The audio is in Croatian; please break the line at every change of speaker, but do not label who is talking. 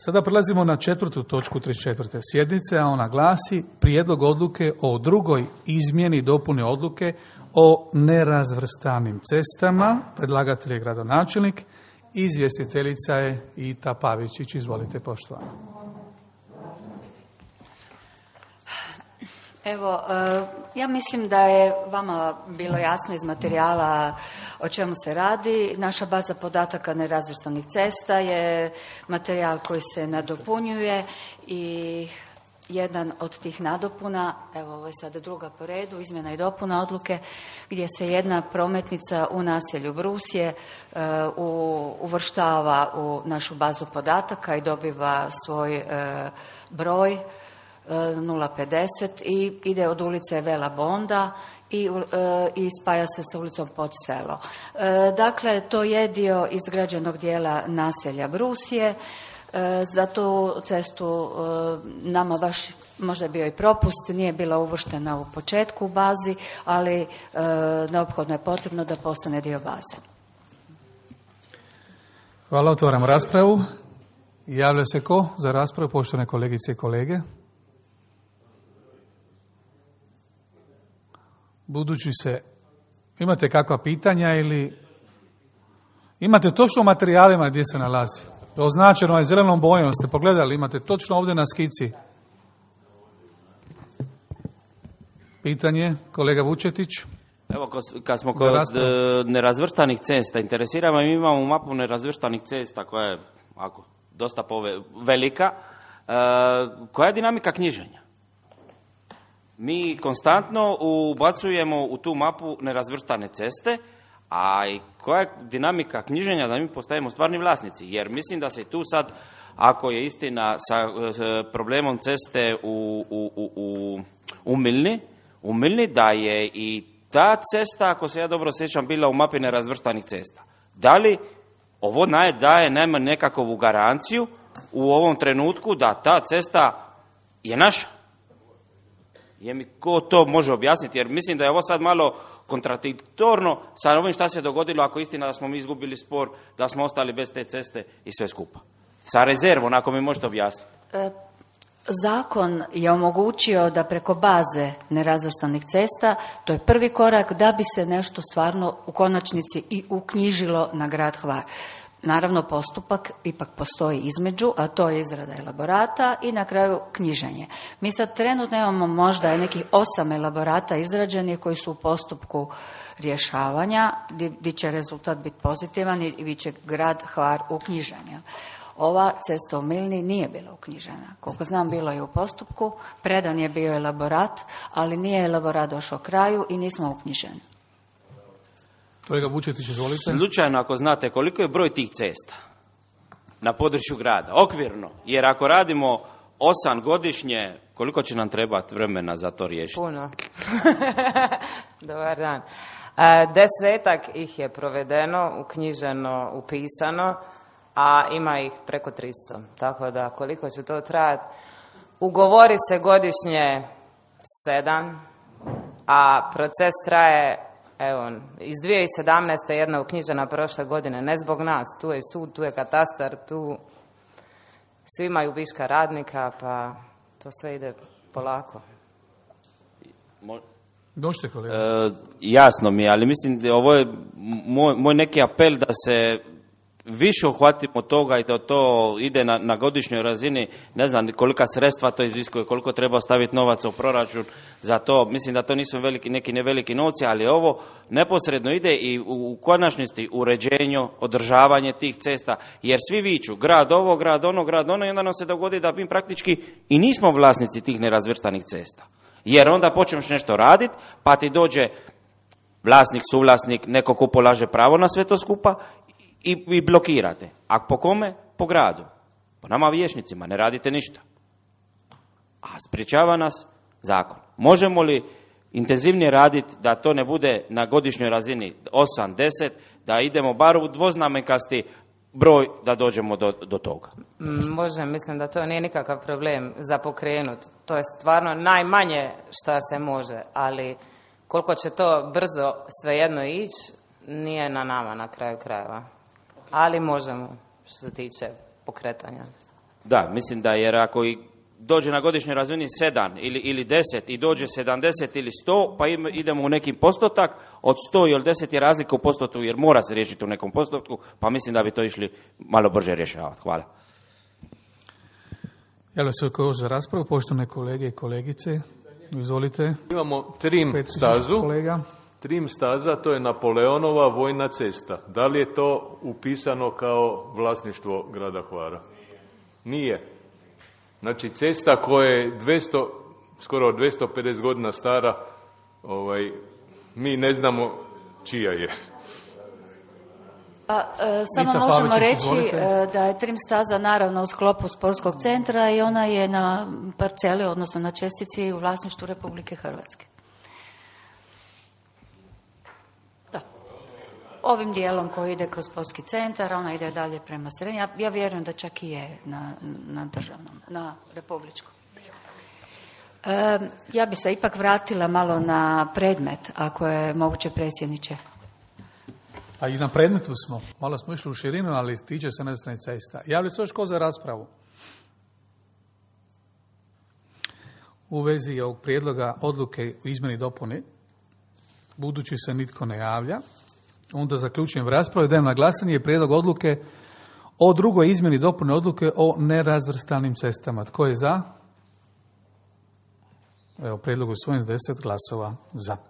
Sada prelazimo na 4. točku 34. sjednice, a ona glasi prijedlog odluke o drugoj izmjeni dopune odluke o nerazvrstanim cestama. Predlagatelj je gradonačelnik, izvjestiteljica je Ita Pavičić. Izvolite, poštovana.
Evo, ja mislim da je vama bilo jasno iz materijala o čemu se radi. Naša baza podataka nerazvrstanih cesta je materijal koji se nadopunjuje i jedan od tih nadopuna, evo ovo je sada druga po redu, izmjena i dopuna odluke, gdje se jedna prometnica u naselju Brusje uvrštava u našu bazu podataka i dobiva svoj broj 050 i ide od ulice Vela Bonda i spaja se sa ulicom Podselo. Dakle, to je dio izgrađenog dijela naselja Brusje. Za tu cestu nama baš možda je bio i propust, nije bila uvrštena u početku u bazi, ali neophodno je potrebno da postane dio baze.
Hvala, otvaram raspravu. Javlja se ko za raspravu, poštovane kolegice i kolege? Budući se, imate kakva pitanja ili imate točno u materijalima gdje se nalazi? Označeno je zelenom bojom, ste pogledali, imate točno ovdje na skici. Pitanje, kolega Vučetić.
Evo, kad smo kod nerazvrstanih cesta, interesira me, mi imamo mapu nerazvrstanih cesta koja je dosta velika. Koja je dinamika knjiženja? Mi konstantno ubacujemo u tu mapu nerazvrstane ceste, a i koja je dinamika knjiženja da mi postajemo stvarni vlasnici? Jer mislim da se tu sad, ako je istina sa problemom ceste u Milni, da je i ta cesta, ako se ja dobro sjećam, bila u mapi nerazvrstanih cesta. Da li ovo daje najmanje nekakvu garanciju u ovom trenutku da ta cesta je naša? Je mi ko to može objasniti? Jer mislim da je ovo sad malo kontradiktorno sa ovim šta se dogodilo ako je istina da smo mi izgubili spor, da smo ostali bez te ceste i sve skupa. Sa rezervom, ako mi možete objasniti.
Zakon je omogućio da preko baze nerazvrstanih cesta, to je prvi korak da bi se nešto stvarno u konačnici i uknjižilo na grad Hvar. Naravno, postupak ipak postoji između, a to je izrada elaborata i na kraju knjiženje. Mi sad trenutno imamo možda nekih 8 elaborata izrađenih koji su u postupku rješavanja, gdje će rezultat biti pozitivan i bit će grad Hvar uknjižen. Ova cesta u Milni nije bila uknjižena. Koliko znam, bilo je u postupku, predan je bio elaborat, ali nije elaborat došao kraju i nismo uknjiženi.
Kolega Vučetić, izvolite.
Slučajno, ako znate koliko je broj tih cesta na području grada, okvirno, jer ako radimo 8 godišnje, koliko će nam trebati vremena za to riješiti?
Puno. Dobar dan. 10 ih je provedeno, uknjiženo, upisano, a ima ih preko 300. Tako da koliko će to trajati? Ugovori se godišnje 7, a proces traje, evo, iz 2017. jedna uknjižena prošle godine, ne zbog nas, tu je sud, tu je katastar, tu svi imaju viška radnika, pa to sve ide polako.
Došte, kolega.
Jasno mi je, ali mislim da ovo je moj neki apel da se više uhvatimo toga i da to ide na godišnjoj razini, ne znam kolika sredstva to iziskuje, koliko treba staviti novaca u proračun za to. Mislim da to nisu neki neveliki novci, ali ovo neposredno ide i u konačnosti uređenju, održavanje tih cesta, jer svi viču grad ovo, grad ono i onda nam se dogodi da mi praktički i nismo vlasnici tih nerazvrstanih cesta. Jer onda počneš nešto raditi, pa ti dođe vlasnik, suvlasnik, neko ko polaže pravo na sve to skupa i blokirate. A po kome? Po gradu. Po nama vijećnicima, ne radite ništa. A sprječava nas zakon. Možemo li intenzivnije raditi da to ne bude na godišnjoj razini 8, 10, da idemo bar u dvoznamenkasti broj da dođemo do toga?
Može, mislim da to nije nikakav problem za pokrenut. To je stvarno najmanje što se može, ali koliko će to brzo svejedno ići, nije na nama na kraju krajeva. Ali možemo, što se tiče pokretanja.
Da, mislim da, jer ako i dođe na godišnjoj razini 7 ili 10 i dođe 70 ili 100, pa idemo u neki postotak, od 100 ili 10 je razlika u postotku, jer mora se riješiti u nekom postotku, pa mislim da bi to išli malo brže rješavati. Hvala.
Jel se koji za raspravu, poštovane kolege i kolegice? Izvolite.
Imamo trim stazu.
Kolega.
Trim staza, to je Napoleonova vojna cesta. Da li je to upisano kao vlasništvo grada Hvara? Nije. Znači, cesta koja je skoro 250 godina stara, mi ne znamo čija je.
Samo možemo reći da je trim staza naravno u sklopu sportskog centra i ona je na parceli, odnosno na čestici u vlasništvu Republike Hrvatske. Da. Ovim dijelom koji ide kroz sportski centar, ona ide dalje prema srednji. Ja vjerujem da čak i je na državnom, na republičkom. Ja bi se ipak vratila malo na predmet, ako je moguće, predsjedniče.
A i na predmetu smo. Malo smo išli u širinu, ali tiče se nerazvrstanih cesta. Javlja se još ko za raspravu? U vezi ovog prijedloga odluke o izmjeni i dopuni, budući se nitko ne javlja, onda zaključujem raspravu i dajem na glasanje prijedlog odluke o drugoj izmjeni i dopuni odluke o nerazvrstanim cestama. Tko je za? Evo, prijedlog usvojen s 10 glasova za.